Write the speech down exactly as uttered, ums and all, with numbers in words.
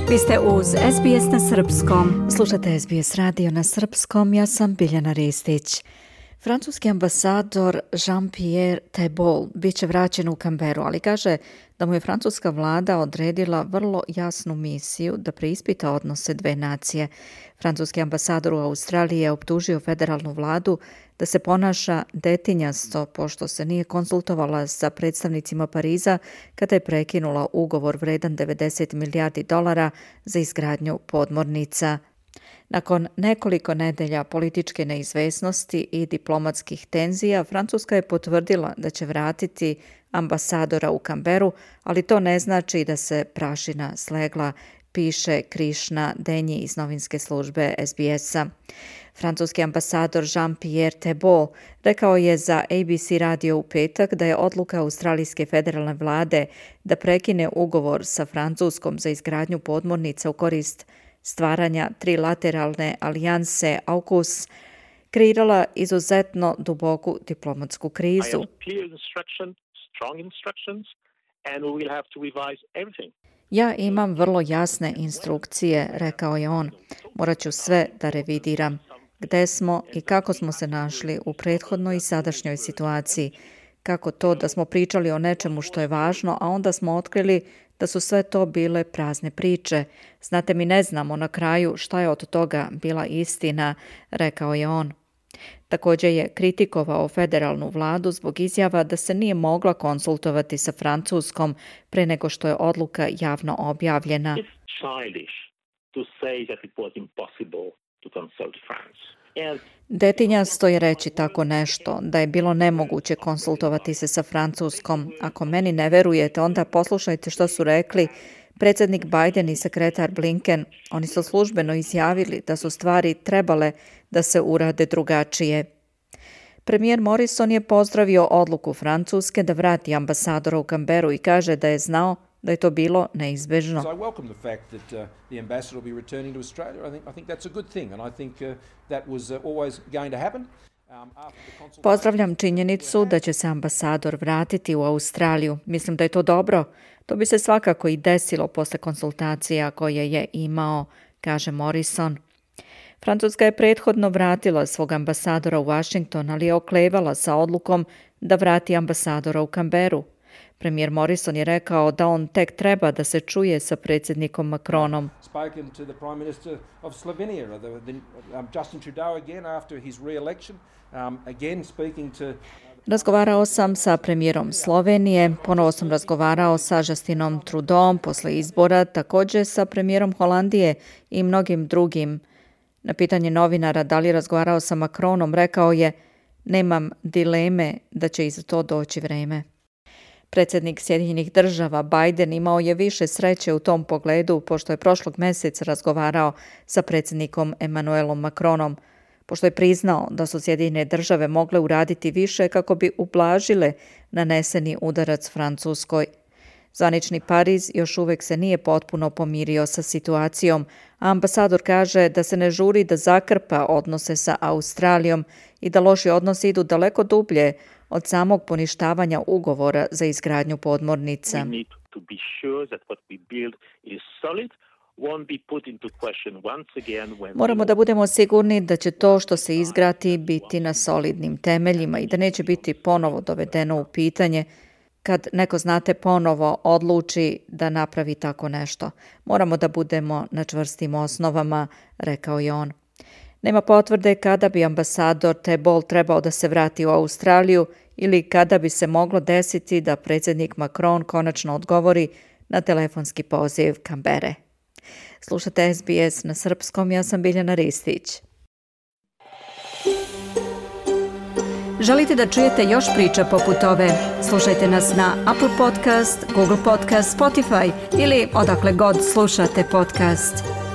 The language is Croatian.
Vi ste uz S B S na srpskom. Slušate S B S radio na srpskom, ja sam Biljana Ristić. Francuski ambasador Jean-Pierre Thebault bit će vraćen u Canberru, ali kaže da mu je francuska vlada odredila vrlo jasnu misiju da preispita odnose dve nacije. Francuski ambasador u Australiji je optužio federalnu vladu da se ponaša detinjasto pošto se nije konsultovala sa predstavnicima Pariza kada je prekinula ugovor vredan devedeset milijardi dolara za izgradnju podmornica. Nakon nekoliko nedelja političke neizvesnosti i diplomatskih tenzija, Francuska je potvrdila da će vratiti ambasadora u Canberru, ali to ne znači da se prašina slegla, piše Krishna Denji iz novinske službe S B S-a. Francuski ambasador Jean-Pierre Thebault rekao je za A B C radio u petak da je odluka australijske federalne vlade da prekine ugovor sa Francuskom za izgradnju podmornica u korist stvaranja trilateralne alijanse AUKUS kreirala izuzetno duboku diplomatsku krizu. Ja imam vrlo jasne instrukcije, rekao je on. Morat ću sve da revidiram. Gde smo i kako smo se našli u prethodnoj i sadašnjoj situaciji. Kako to da smo pričali o nečemu što je važno, a onda smo otkrili da su sve to bile prazne priče. Znate, mi ne znamo na kraju šta je od toga bila istina, rekao je on. Također je kritikovao federalnu vladu zbog izjava da se nije mogla konsultovati sa Francuskom pre nego što je odluka javno objavljena. Detinjasto je reći tako nešto, da je bilo nemoguće konsultovati se sa Francuskom. Ako meni ne verujete, onda poslušajte što su rekli predsjednik Biden i sekretar Blinken. Oni su službeno izjavili da su stvari trebale da se urade drugačije. Premijer Morrison je pozdravio odluku Francuske da vrati ambasadora u Canberru i kaže da je znao da je to bilo neizbežno. Pozdravljam činjenicu da će se ambasador vratiti u Australiju. Mislim da je to dobro. To bi se svakako i desilo posle konsultacija koje je imao, kaže Morrison. Francuska je prethodno vratila svog ambasadora u Washington, ali je oklevala sa odlukom da vrati ambasadora u Canberru. Premijer Morrison je rekao da on tek treba da se čuje sa predsjednikom Macronom. Razgovarao sam sa premijerom Slovenije, ponovo sam razgovarao sa Justinom Trudeauom posle izbora, također sa premijerom Holandije i mnogim drugim. Na pitanje novinara da li je razgovarao sa Macronom, rekao je: nemam dileme da će i za to doći vreme. Predsjednik Sjedinjenih država Biden imao je više sreće u tom pogledu pošto je prošlog mjeseca razgovarao sa predsjednikom Emmanuelom Macronom, pošto je priznao da su Sjedinjene države mogle uraditi više kako bi ublažile naneseni udarac Francuskoj. Zvanični Pariz još uvijek se nije potpuno pomirio sa situacijom, a ambasador kaže da se ne žuri da zakrpa odnose sa Australijom i da loši odnosi idu daleko dublje od samog poništavanja ugovora za izgradnju podmornica. Moramo da budemo sigurni da će to što se izgradi biti na solidnim temeljima i da neće biti ponovo dovedeno u pitanje kad neko, znate, ponovo odluči da napravi tako nešto. Moramo da budemo na čvrstim osnovama, rekao je on. Nema potvrde kada bi ambasador Thebault trebao da se vrati u Australiju ili kada bi se moglo desiti da predsjednik Macron konačno odgovori na telefonski poziv Canberre. Slušate S B S na srpskom, ja sam Biljana Ristić. Želite da čujete još priča poput ove? Slušajte nas na Apple Podcast, Google Podcast, Spotify ili odakle god slušate podcast.